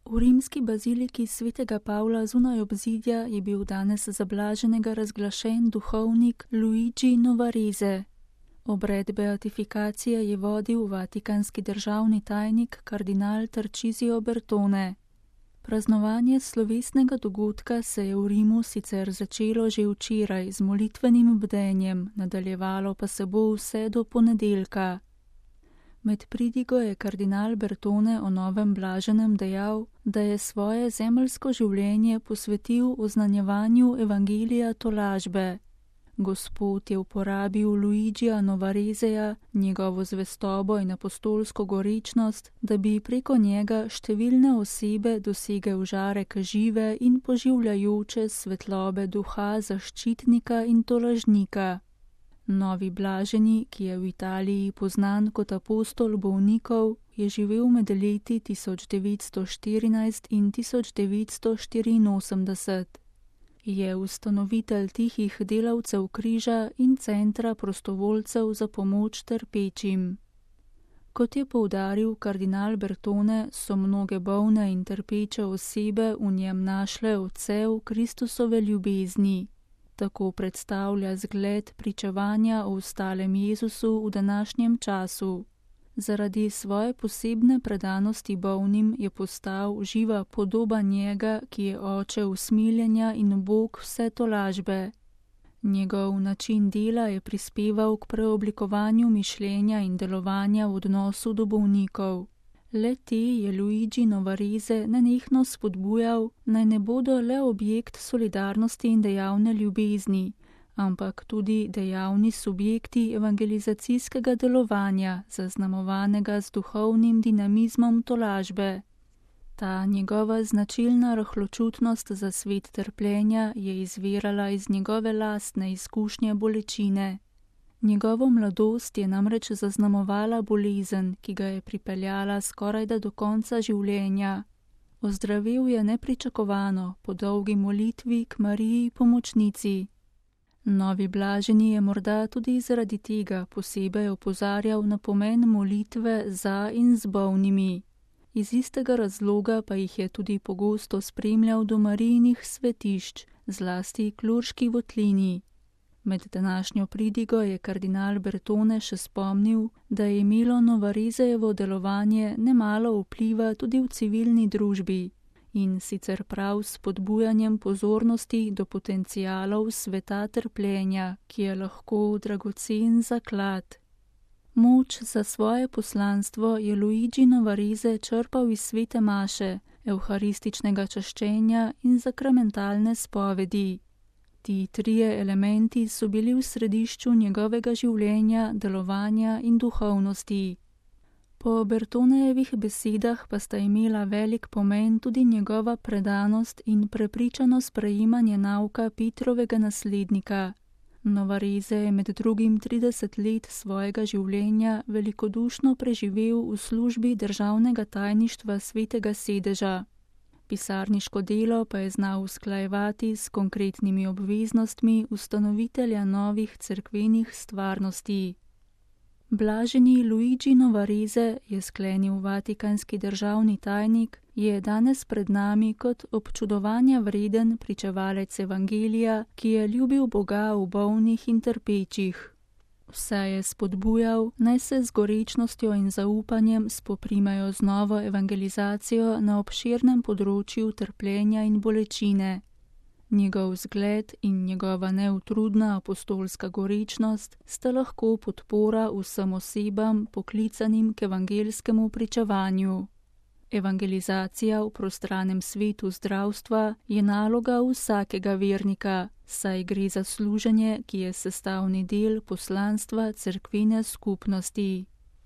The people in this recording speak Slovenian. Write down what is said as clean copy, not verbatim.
V rimski baziliki svetega Pavla zunaj obzidja je bil danes za blaženega razglašen duhovnik Luigi Novarese. Obred beatifikacije je vodil vatikanski državni tajnik kardinal Tarcisio Bertone. Praznovanje slovesnega dogodka se je v Rimu sicer začelo že včeraj z molitvenim bdenjem, nadaljevalo pa se bo vse do ponedeljka. Med pridigo je kardinal Bertone o novem blaženem dejal, da je svoje zemeljsko življenje posvetil oznanjevanju evangelija tolažbe. Gospod je uporabil Luigija Novareseja, njegovo zvestobo in apostolsko gorečnost, da bi preko njega številne osebe dosegel žarek žive in poživljajoče svetlobe duha zaščitnika in tolažnika. Novi blaženi, ki je v Italiji poznan kot apostol bolnikov, je živel med leti 1914 in 1984. Je ustanovitelj Tihih delavcev križa in centra prostovoljcev za pomoč trpečim. Kot je poudaril kardinal Bertone, so mnoge bolne in trpeče osebe v njem našle odsev Kristusove ljubezni. Tako predstavlja zgled pričevanja o ostalem Jezusu v današnjem času. Zaradi svoje posebne predanosti bolnim je postal živa podoba njega, ki je oče usmiljenja in Bog vse tolažbe. Njegov način dela je prispeval k preoblikovanju mišljenja in delovanja v odnosu do bolnikov. Le te je Luigi Novarese nenehno spodbujal, naj ne bodo le objekt solidarnosti in dejavne ljubezni, ampak tudi dejavni subjekti evangelizacijskega delovanja, zaznamovanega z duhovnim dinamizmom tolažbe. Ta njegova značilna rahločutnost za svet trpljenja je izvirala iz njegove lastne izkušnje bolečine. Njegovo mladost je namreč zaznamovala bolezen, ki ga je pripeljala skorajda do konca življenja. Ozdravel je nepričakovano po dolgi molitvi k Mariji pomočnici. Novi blaženi je morda tudi zaradi tega posebej opozarjal na pomen molitve za in z bolnimi. Iz istega razloga pa jih je tudi pogosto spremljal do Marijinih svetišč, zlasti k Lurški votlini. Med današnjo pridigo je kardinal Bertone še spomnil, da je imelo Novaresejevo delovanje nemalo vpliva tudi v civilni družbi, in sicer prav s spodbujanjem pozornosti do potencialov sveta trpljenja, ki je lahko dragocen zaklad. Moč za svoje poslanstvo je Luigi Novarese črpal iz svete maše, evharističnega čaščenja in sakramentalne spovedi. Ti trije elementi so bili v središču njegovega življenja, delovanja in duhovnosti. Po Bertonejevih besedah pa sta imela velik pomen tudi njegova predanost in prepričano sprejemanje nauka Petrovega naslednika. Novarese je med drugim 30 let svojega življenja velikodušno preživel v službi državnega tajništva Svetega sedeža. Pisarniško delo pa je znal usklajevati s konkretnimi obveznostmi ustanovitelja novih cerkvenih stvarnosti. Blaženi Luigi Novarese, je sklenil vatikanski državni tajnik, je danes pred nami kot občudovanja vreden pričevalec evangelija, ki je ljubil Boga v bolnih in trpečih. Vse je spodbujal, naj se z gorečnostjo in zaupanjem spoprimajo z novo evangelizacijo na obširnem področju trpljenja in bolečine. Njegov zgled in njegova neutrudna apostolska gorečnost sta lahko podpora vsem osebam poklicanim k evangelskemu pričevanju. Evangelizacija v prostranem svetu zdravstva je naloga vsakega vernika, saj gre za služenje, ki je sestavni del poslanstva cerkvene skupnosti.